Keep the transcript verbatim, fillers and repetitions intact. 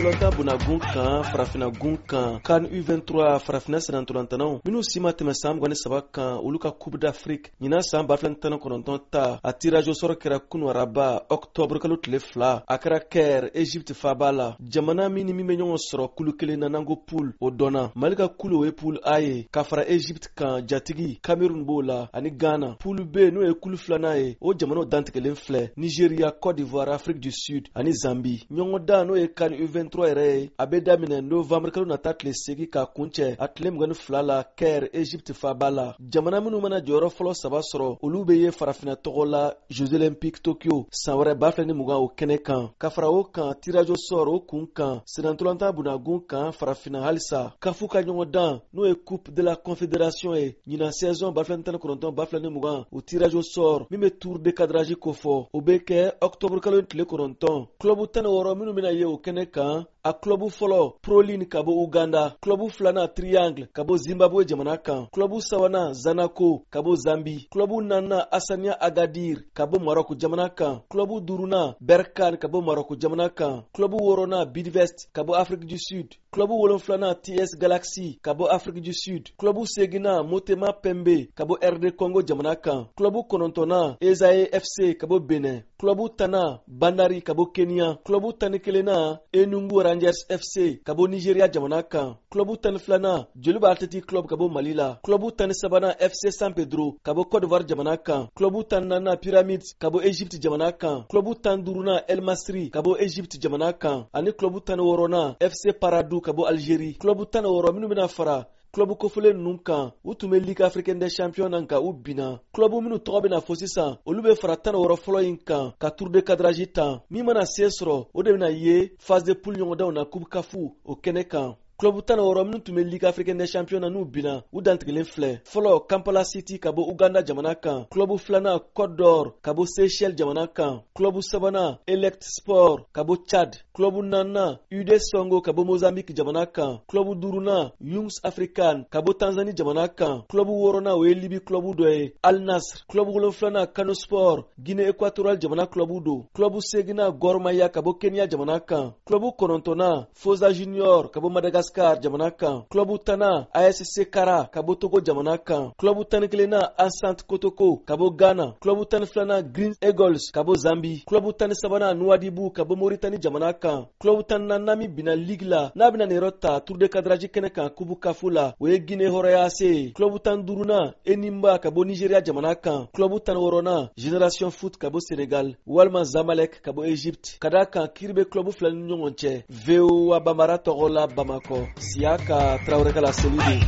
Sennantolatan bunagun kan, farafinagun kan, CAN U vingt-trois, farafina sennantolatannaw minnu si ma tɛmɛ san mugan ni saba kan, olu ka Coupe d'Afrique ɲinan san ba fila ni tan ni kɔnɔntɔn ta, a tirage au sort kɛra kunu araba, octobre kalo tile fila. A kɛra Caire, Egypte faaba la. Jamana min ni min bɛ ɲɔgɔn sɔrɔ kulu kelen na, n'an ko poule, o dɔnna. Mali ka kulu, o ye poule A ye, ka fara Egypte kan, jatigi Cameroun b'o la ani Ghana. Poule B, n'o ye kulu filanan ye, o jamanaw dantigɛlen filɛ: Nigeria, Côte d'Ivoire, Afrique du Sud ani Zambie. Ɲɔgɔndan, n'o ye CAN U vingt-trois yɛrɛ ye, a bɛ daminɛ novembre kalo nata tile seegin ka kuncɛ a tile mugan ni fila la, Caire, Egypte faaba la. Jamana minnu mana jɔyɔrɔ fɔlɔ saba sɔrɔ, olu bɛ ye farafina tɔgɔ la Jeux Olympiques Tokyo san wɛrɛ ba fila ni mugan, o kɛnɛ kan. Ka fara o kan, tirage au sort o kun kan, sennantolatan bunagun kan, farafina halisa, kafu ka ɲɔgɔndan, n'o ye Coupe de la Confédération ye, ɲinan saison ba fila ni tan ni kɔnɔntɔn ba fila ni mugan, o tirage au sort min bɛ tour de cadrage kofɔ, o bɛ kɛ octobre kalo tile kɔnɔntɔn. Club tan ni wɔɔrɔ minnu bɛna ye o kɛnɛ kan, a club fɔlɔ, Proline ka bɔ Uganda; club filanan, Triangle ka bɔ Zimbabwe jamana kan; club sabanan, Zanaco ka bɔ Zambi; club naaninan, Hassania Agadir ka bɔ Maroc jamana kan; club duurunan, Berkane ka bɔ Maroc jamana kan; club wɔɔrɔnan, Bidvest ka bɔ Afrique du Sud; club wolonfilanan, T S Galaxy ka bɔ Afrique du Sud; club seginnan, Motema Pembe ka bɔ R D Congo jamana kan; club kɔnɔntɔnnan, Ezae F C ka bɔ Benin; club tannan, Bandari ka bɔ Kenya; club tan ni kelennan, Enugu Rangers F C ka bɔ Nigeria jamana kan; club tan ni filanan, Joliba Athletic Club ka bɔ Mali la; club tan ni sabanan, F C San Pedro ka bɔ Côte d'Ivoire jamana kan; club tan ni naaninan, Pyramids ka bɔ Egypte jamana kan; club tan duurunan, El Masri ka bɔ Egypte jamana kan, ani club tan ni wɔɔrɔnan, F C Paradou ka bɔ Algérie. Club tan ni wɔɔrɔ minnu bɛna fara club kofɔlen ninnu kan, u tun bɛ Ligue africaine des champions na, nka u binna. Club minnu tɔgɔ bɛna fɔ sisan, olu bɛ fara tan ni wɔɔrɔ fɔlɔ in kan ka tour de cadrage tan. Min mana se sɔrɔ, o de bɛna ye phase de poule ɲɔgɔndanw na Coupe CAF o kɛnɛ kan. Club tan ni wɔɔrɔ minnu tun bɛ Ligue africaine des champions na, n'u binna, u dantigɛlen filɛ: fɔlɔ, Kampala City ka bɔ Uganda jamana kan; club filanan, Côte d'Or ka bɔ Seychelles jamana kan; club sabanan, Elect Sport ka bɔ Tchad; club naaninan, U D Songo ka bɔ Mozambique jamana kan; club duurunan, Young African ka bɔ Tanzanie jamana kan; club wɔɔrɔnan, o ye Libi club dɔ ye, Al Nasr; club wolonfilanan, Kano Sport, Guinée équatoriale jamana club don; club seginnan, Gor Mahia ka bɔ Kenya jamana kan; club kɔnɔntɔnnan, Fosa Junior ka bɔ Madagascar jamana kan; club tannan, A S C Kara ka bɔ Togo jamana kan; club tan ni kelennan, Asante Kotoko ka bɔ Ghana; club tan ni filanan, Green Eagles ka bɔ Zambi; club tan ni sabanan, Nouadhibou ka bɔ Mauritanie jamana kan; club tan ni naaninan min binna ligue la, n'a bɛna nin yɔrɔ ta tour de cadrage kɛnɛ kan Coupe CAF la, o ye Guinée Hɔrɔnya A C ye; club tan ni duurunan, Enyimba ka bɔ Nigeria jamana kan; club tan ni wɔɔrɔnan, Génération Foot ka bɔ Sénégal walima Zamalek ka bɔ Egypte, ka d'a kan kiiri bɛ club fila ni ɲɔgɔn cɛ. V O A Bambara tɔgɔ la, Bamakɔ, Siyaka Tarawele ka laseli don.